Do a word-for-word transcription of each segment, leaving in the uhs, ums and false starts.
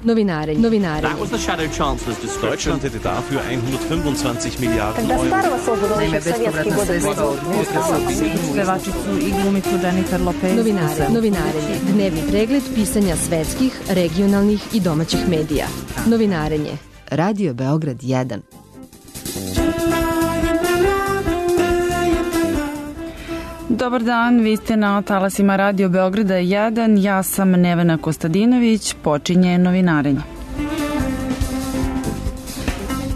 Novinarenje. Novinarenje. That was the shadow chancellor's description. Deutschland hätte dafür hundertfünfundzwanzig Miliarden Euro. Pevačicu i glumicu Jennifer Lopez. Novinare. Novinarenje. Dnevni pregled pisanja svetskih, regionalnih i domaćih medija. Novinarenje. Radio Beograd jedan. Dobar dan, vi ste na talasima Radio Beograda jedan, ja sam Nevena Kostadinović, počinje novinarenje.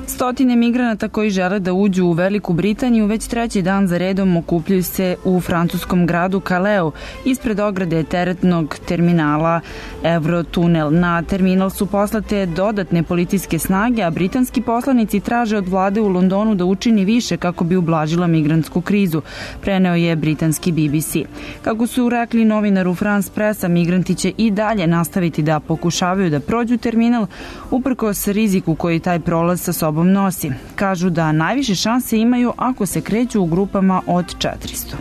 Stotine migranata koji žele da uđu u Veliku Britaniju već treći dan za redom okupljaju se u francuskom gradu Caleu ispred ograde teretnog terminala Eurotunnel. Na terminal su poslate dodatne policijske snage, a britanski poslanici traže od vlade u Londonu da učini više kako bi ublažila migrantsku krizu, preneo je britanski B B C. Kako su rekli novinaru France Pressa, migranti će i dalje nastaviti da pokušavaju da prođu terminal uprkos riziku koji taj prolaz sa sobom nosi. Kažu da najviše šanse imaju ako se kreću u grupama od četiristo.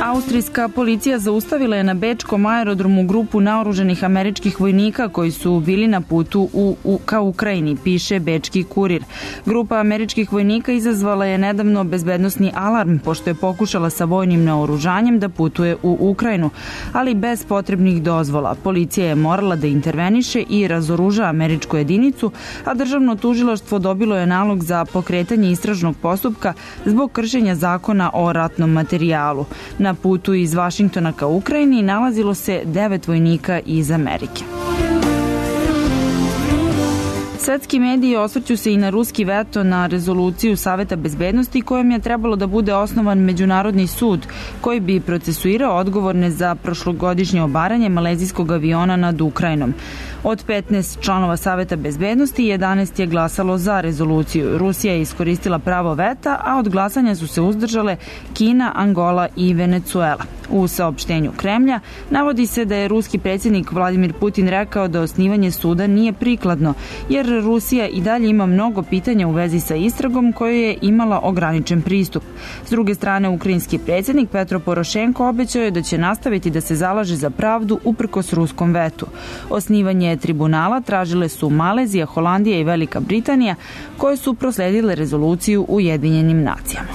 Austrijska policija zaustavila je na bečkom aerodromu grupu naoruženih američkih vojnika koji su bili na putu u, u, ka Ukrajini, piše bečki kurir. Grupa američkih vojnika izazvala je nedavno bezbednosni alarm pošto je pokušala sa vojnim naoružanjem da putuje u Ukrajinu, ali bez potrebnih dozvola. Policija je morala da interveniše i razoruža američku jedinicu, a državno tužilaštvo dobilo je nalog za pokretanje istražnog postupka zbog kršenja zakona o ratnom materijalu. Na putu iz Vašingtona ka Ukrajini nalazilo se devet vojnika iz Amerike. Svetski mediji osvrću se i na ruski veto na rezoluciju Saveta bezbednosti kojom je trebalo da bude osnovan međunarodni sud koji bi procesuirao odgovorne za prošlogodišnje obaranje malezijskog aviona nad Ukrajinom. Od petnaest članova Saveta bezbednosti, jedanaest je glasalo za rezoluciju. Rusija je iskoristila pravo veta, a od glasanja su se uzdržale Kina, Angola i Venecuela. U saopštenju Kremlja navodi se da je ruski predsjednik Vladimir Putin rekao da osnivanje suda nije prikladno, jer Rusija i dalje ima mnogo pitanja u vezi sa istragom kojoj je imala ograničen pristup. S druge strane, ukrajinski predsjednik Petro Porošenko obećao je da će nastaviti da se zalaže za pravdu uprkos ruskom vetu. Osnivanje tribunala tražile su Malezija, Holandija i Velika Britanija, koje su prosledile rezoluciju u Ujedinjenim nacijama.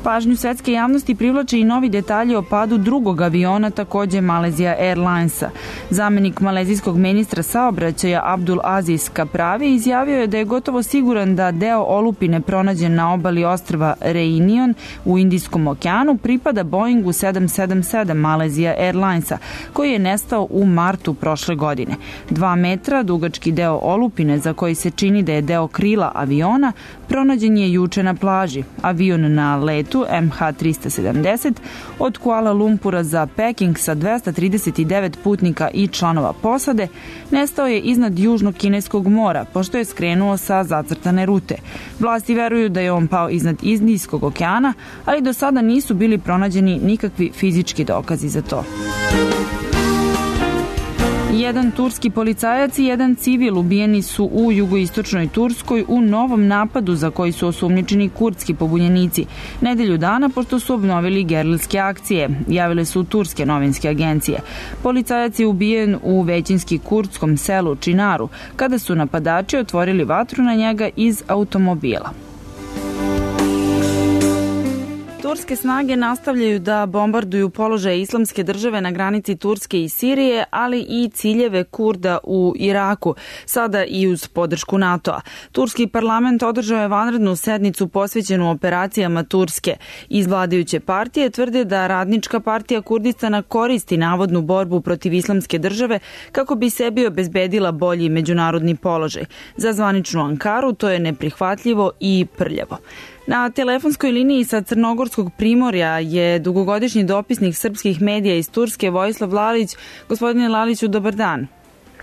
Pažnju svetske javnosti privlače i novi detalji o padu drugog aviona, takođe Malaysia Airlinesa. Zamenik malezijskog ministra saobraćaja Abdul Aziz Kapravi izjavio je da je gotovo siguran da deo olupine pronađen na obali ostrva Reunion u Indijskom okeanu pripada Boeingu sedam sedam sedam Malaysia Airlinesa, koji je nestao u martu prošle godine. Dva metra dugački deo olupine, za koji se čini da je deo krila aviona, pronađen je juče na plaži. Avion na letu M H trista sedamdeset od Kuala Lumpura za Peking sa dvesta trideset devet putnika i članova posade nestao je iznad Južnog kineskog mora, pošto je skrenuo sa zacrtane rute. Vlasti veruju da je on pao iznad Indijskog okeana, ali do sada nisu bili pronađeni nikakvi fizički dokazi za to. Jedan turski policajac i jedan civil ubijeni su u jugoistočnoj Turskoj u novom napadu za koji su osumnjičeni kurdski pobunjenici. Nedelju dana pošto su obnovili gerilske akcije, javile su turske novinske agencije. Policajac je ubijen u većinski kurdskom selu Činaru, kada su napadači otvorili vatru na njega iz automobila. Turske snage nastavljaju da bombarduju položaje Islamske države na granici Turske i Sirije, ali i ciljeve Kurda u Iraku, sada i uz podršku NATO-a. Turski parlament održao je vanrednu sednicu posvećenu operacijama Turske. Iz vladajuće partije tvrde da Radnička partija Kurdistana koristi navodnu borbu protiv Islamske države kako bi sebi obezbedila bolji međunarodni položaj. Za zvaničnu Ankaru to je neprihvatljivo i prljavo. Na telefonskoj liniji sa Crnogorskog primorja je dugogodišnji dopisnik srpskih medija iz Turske Vojislav Lalić. Gospodine Laliću, dobar dan.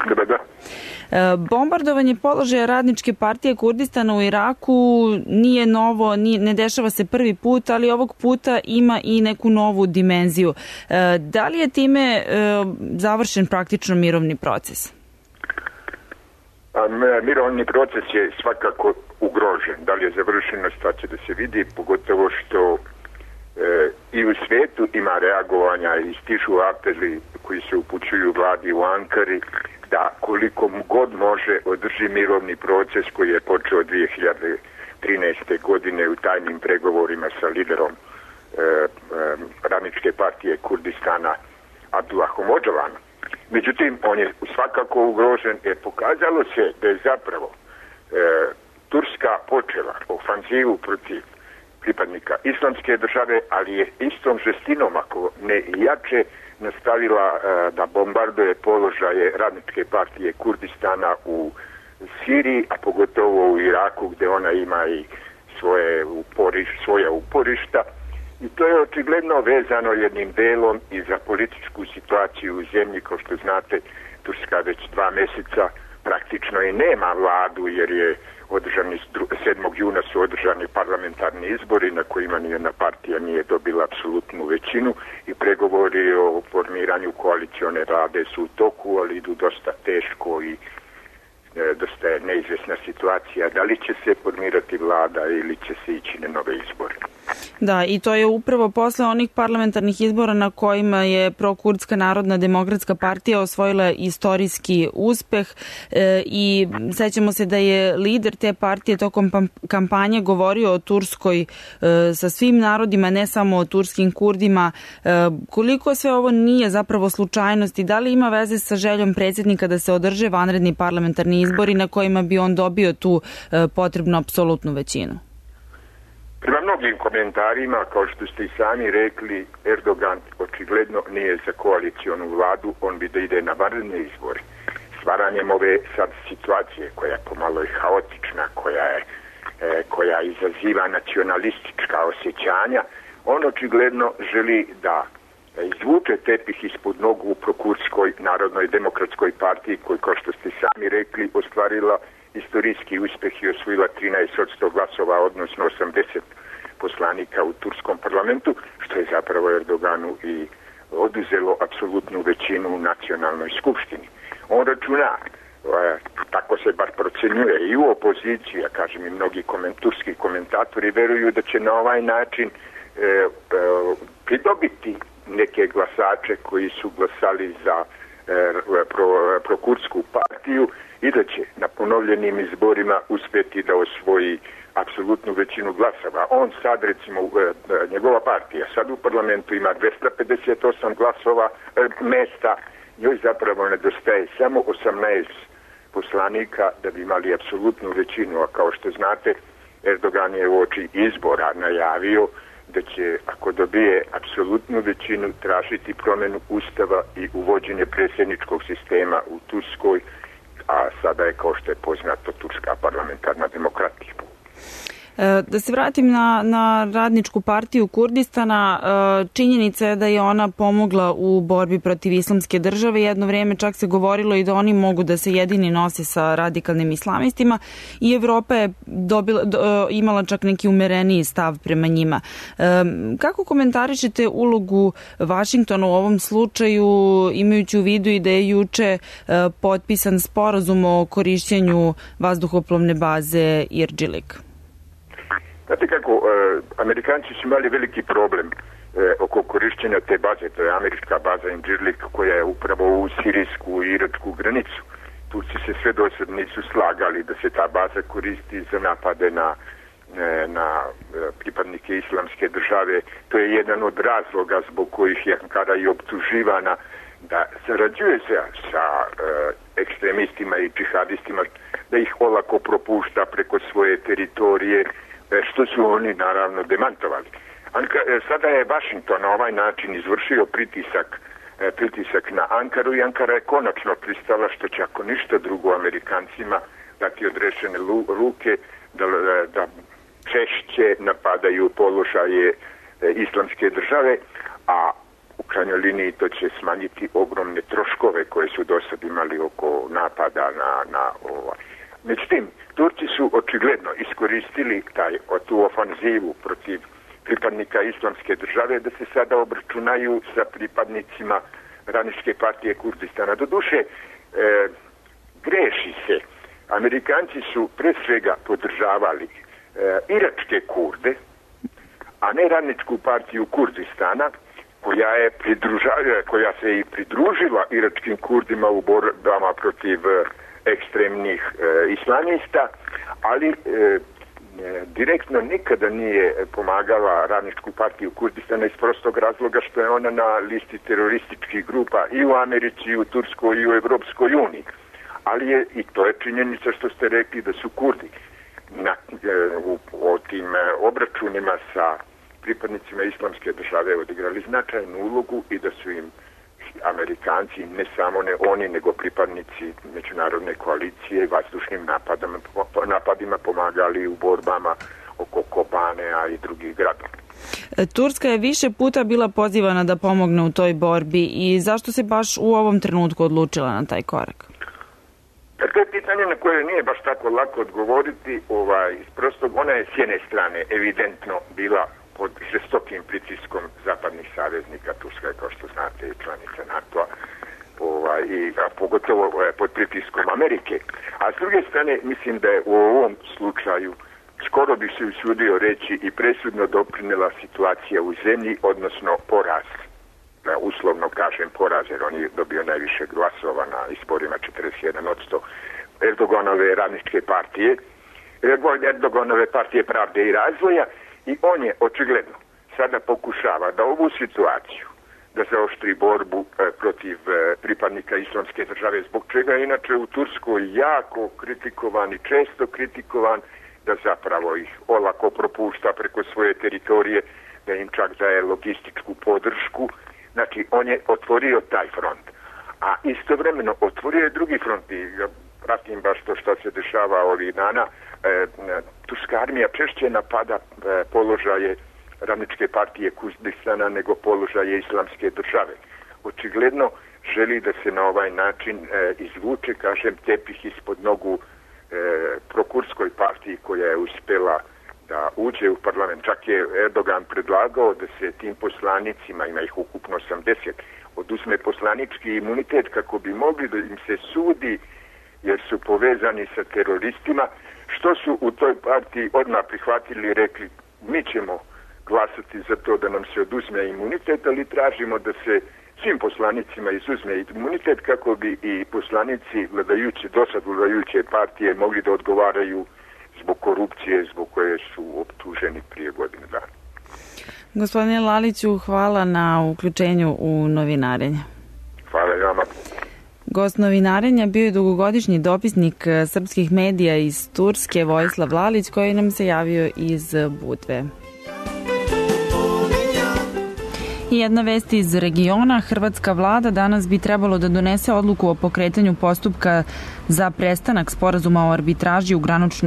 Dobar dan. Bombardovanje položaja Radničke partije Kurdistana u Iraku nije novo, nije, ne dešava se prvi put, ali ovog puta ima i neku novu dimenziju. Da li je time završen praktično mirovni proces? Mirovni proces je svakako ugrožen. Da li je završeno, šta će da se vidi, pogotovo što i u svijetu ima reagovanja i stižu apeli koji se upućuju vladi u Ankari da koliko god može održi mirovni proces koji je počeo dvije hiljade trinaeste. godine u tajnim pregovorima sa liderom e, e, Radničke partije Kurdistana Abdullahom Öcalanom. Međutim, on je svakako ugrožen jer pokazalo se da je zapravo e, Turska počela ofanzivu protiv pripadnika islamske države, ali je istom žestinom, ako ne jače, nastavila e, da bombarduje položaje Radničke partije Kurdistana u Siriji, a pogotovo u Iraku gdje ona ima i svoje uporiš, svoja uporišta. I to je očigledno vezano jednim delom i za političku situaciju u zemlji. Kao što znate, Turska već dva mjeseca praktično i nema vladu jer je održani, sedmog juna su održani parlamentarni izbori na kojima nijedna partija nije dobila apsolutnu većinu i pregovori o formiranju koalicione vlade su u toku, ali idu dosta teško i e, dosta je neizvjesna situacija. Da li će se formirati vlada ili će se ići na nove izbore? Da, i to je upravo posle onih parlamentarnih izbora na kojima je prokurdska Narodna demokratska partija osvojila istorijski uspeh e, i sećamo se da je lider te partije tokom kampanje govorio o Turskoj e, sa svim narodima, ne samo o turskim Kurdima. E, koliko sve ovo nije zapravo slučajnost i da li ima veze sa željom predsjednika da se održe vanredni parlamentarni izbori na kojima bi on dobio tu e, potrebnu apsolutnu većinu? Prema mnogim komentarima, kao što ste i sami rekli, Erdogan očigledno nije za koalicijonu vladu, on bi da ide na vanredne izbore. Stvaranjem ove sad situacije koja je pomalo i haotična, koja, je, e, koja izaziva nacionalistička osjećanja, on očigledno želi da izvuče tepih ispod nogu u prokurdskoj Narodnoj demokratskoj partiji koji, kao što ste sami rekli, ostvarila istorijski uspjeh i osvojila trinaest posto glasova, odnosno osamdeset poslanika u turskom parlamentu, što je zapravo Erdoganu i oduzelo apsolutnu većinu u nacionalnoj skupštini. On računa, tako se bar procenjuje i u opoziciji, a kažem i mnogi koment, turski komentatori veruju da će na ovaj način e, e, pridobiti neke glasače koji su glasali za e, pro, prokurdsku partiju i da će na ponovljenim izborima uspjeti da osvoji apsolutnu većinu glasova. On sad, recimo, njegova partija sad u parlamentu ima dvesta pedeset osam glasova mesta, njoj zapravo nedostaje samo osamnaest poslanika da bi imali apsolutnu većinu, a kao što znate, Erdogan je uoči izbora najavio da će, ako dobije apsolutnu većinu, tražiti promjenu ustava i uvođenje predsjedničkog sistema u Turskoj, a sada je, kao što je poznato, turska parlamentarna demokratija. Da se vratim na, na Radničku partiju Kurdistana, činjenica je da je ona pomogla u borbi protiv islamske države. Jedno vrijeme čak se govorilo i da oni mogu da se jedini nose sa radikalnim islamistima i Evropa je dobila, do, imala čak neki umereniji stav prema njima. Kako komentarišete ulogu Vašingtona u ovom slučaju, imajući u vidu i da je juče potpisan sporazum o korišćenju vazduhoplovne baze Irđilik? Znate kako, e, Amerikanci su imali veliki problem e, oko korišćenja te baze, to je američka baza Incirlik koja je upravo u sirijsku i iračku granicu. Turci se sve do sad nisu slagali da se ta baza koristi za napade na, e, na pripadnike islamske države. To je jedan od razloga zbog kojih je Ankara i optuživana da sarađuje se sa e, ekstremistima i džihadistima, da ih olako propušta preko svoje teritorije, što su oni naravno demantovali. Anka, sada je Washington na ovaj način izvršio pritisak, pritisak na Ankaru i Ankara je konačno pristala, što će ako ništa drugo Amerikancima dati odrešene ruke da, da češće napadaju položaje islamske države, a u krajnjoj liniji to će smanjiti ogromne troškove koje su do sad imali oko napada na, na ovaj. Međutim, Turci su očigledno iskoristili taj, tu ofanzivu protiv pripadnika islamske države da se sada obračunaju sa pripadnicima Radničke partije Kurdistana. Doduše, e, greši se. Amerikanci su pre svega podržavali e, iračke Kurde, a ne radničku partiju Kurdistana, koja je pridruža, koja se i pridružila iračkim Kurdima u borbama protiv ekstremnih e, islamista, ali e, direktno nikada nije pomagala radničku partiju Kurdistana iz prostog razloga što je ona na listi terorističkih grupa i u Americi, i u Turskoj, i u Evropskoj uniji. Ali je, i to je činjenica što ste rekli, da su Kurdi na, u, u tim obračunima sa pripadnicima islamske države odigrali značajnu ulogu i da su im Amerikanci, ne samo ne oni, nego pripadnici međunarodne koalicije vazdušnim napadama, napadima pomagali u borbama oko Kobanea i drugih gradova. Turska je više puta bila pozivana da pomogne u toj borbi i zašto se baš u ovom trenutku odlučila na taj korak? To je pitanje na koje nije baš tako lako odgovoriti. Ovaj, prosto ona je s jedne strane evidentno bila pod žestokim pritiskom zapadnih saveznika. Turska je, kao što znate, i članica NATO-a, ovaj, i, a pogotovo ovaj, pod pritiskom Amerike. A s druge strane, mislim da je u ovom slučaju skoro bi se usudio reći i presudno doprinela situacija u zemlji, odnosno poraz. Da, uslovno kažem poraz, jer on je dobio najviše glasova na izborima, četrdeset jedan posto Erdoganove radničke partije, Erdoganove partije pravde i razvoja, i on je očigledno sada pokušava da ovu situaciju, da zaoštri borbu e, protiv e, pripadnika islamske države, zbog čega je inače u Turskoj jako kritikovan i često kritikovan, da zapravo ih olako propušta preko svoje teritorije, da im čak daje logističku podršku. Znači, on je otvorio taj front. A istovremeno otvorio je drugi front. I ja pratim baš to što se dešava ovih dana. E, Turska armija češće napada e, položaje radničke partije Kurdistana nego položaje islamske države. Očigledno želi da se na ovaj način e, izvuče, kažem, tepih ispod nogu e, prokurskoj partiji koja je uspela da uđe u parlament. Čak je Erdogan predlagao da se tim poslanicima, ima ih ukupno osamdeset, oduzme poslanički imunitet kako bi mogli da im se sudi jer su povezani sa teroristima, što su u toj partiji odmah prihvatili i rekli mi ćemo glasati za to da nam se oduzme imunitet, ali tražimo da se svim poslanicima izuzme imunitet kako bi i poslanici vladajuće, dosad vladajuće partije mogli da odgovaraju zbog korupcije zbog koje su optuženi prije godine dana. Gospodine Laliću, hvala na uključenju u novinarenje. Hvala i vama. Gost novinarenja bio je dugogodišnji dopisnik srpskih medija iz Turske Vojislav Lalić, koji nam se javio iz Budve. I jedna vest iz regiona. Hrvatska vlada danas bi trebalo da donese odluku o pokretanju postupka za prestanak sporazuma o arbitraži u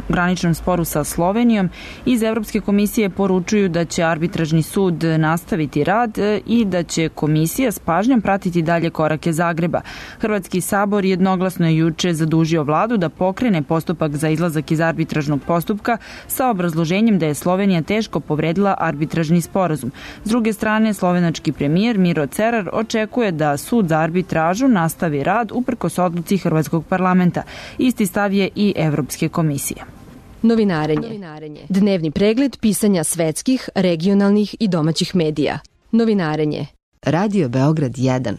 graničnom sporu sa Slovenijom. Iz Evropske komisije poručuju da će arbitražni sud nastaviti rad i da će komisija s pažnjom pratiti dalje korake Zagreba. Hrvatski sabor jednoglasno je juče zadužio vladu da pokrene postupak za izlazak iz arbitražnog postupka sa obrazloženjem da je Slovenija teško povredila arbitražni sporazum. S druge strane, slovenački premijer Miro Cerar očekuje da sud za arbitražu nastavi rad uprkos odluci Hrvatskog parlamenta. Isti stav je i Evropske komisije. Novinarenje. Dnevni pregled pisanja svetskih, regionalnih i domaćih medija. Novinarenje. Radio Beograd jedan.